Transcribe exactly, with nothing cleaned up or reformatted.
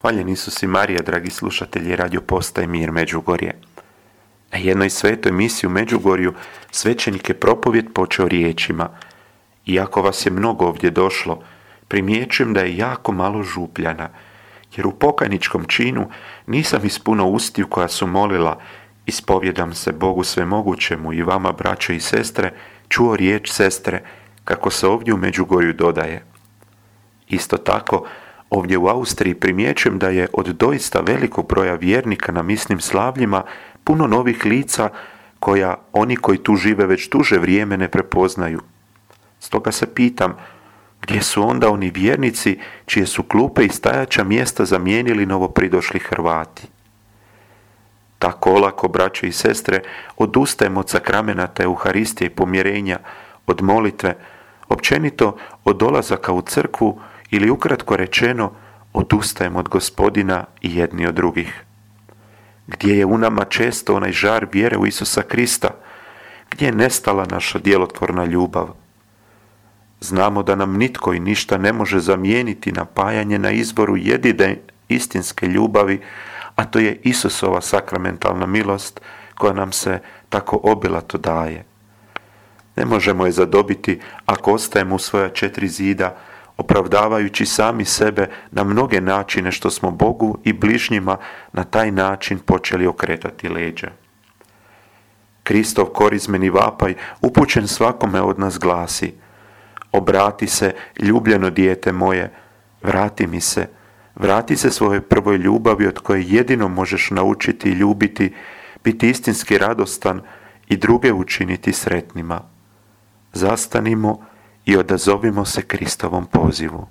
Hvaljen Isus i Marija, dragi slušatelji Radio Postaje Mir Međugorje. Na jednoj svetoj misi u Međugorju svećenik je propovjed počeo riječima: iako vas je mnogo ovdje došlo, primjećujem da je jako malo župljana, jer u pokajničkom činu nisam ispuno ustiju koja su molila: ispovjedam se Bogu svemogućemu i vama, braćo i sestre, čuo riječ sestre, kako se ovdje u Međugorju dodaje. Isto tako, ovdje u Austriji primjećujem da je od doista velikog broja vjernika na misnim slavljima puno novih lica koja oni koji tu žive već duže vrijeme ne prepoznaju. Stoga se pitam, gdje su onda oni vjernici čije su klupe i stajaća mjesta zamijenili novopridošli Hrvati? Tako olako, braćo i sestre, odustajemo od sakramenata Euharistije i pomjerenja, od molitve, općenito od dolazaka u crkvu, ili ukratko rečeno, odustajemo od Gospodina i jedni od drugih. Gdje je u nama često onaj žar vjere u Isusa Krista? Gdje je nestala naša djelotvorna ljubav? Znamo da nam nitko i ništa ne može zamijeniti napajanje na izvoru jedine istinske ljubavi, a to je Isusova sakramentalna milost koja nam se tako obilato daje. Ne možemo je zadobiti ako ostajemo u svoja četiri zida, opravdavajući sami sebe na mnoge načine što smo Bogu i bližnjima na taj način počeli okretati leđa. Kristov korizmeni vapaj upućen svakome od nas glasi: obrati se, ljubljeno dijete moje, vrati mi se, vrati se svojoj prvoj ljubavi od koje jedino možeš naučiti i ljubiti, biti istinski radostan i druge učiniti sretnima. Zastanimo i odazovimo se Kristovom pozivu.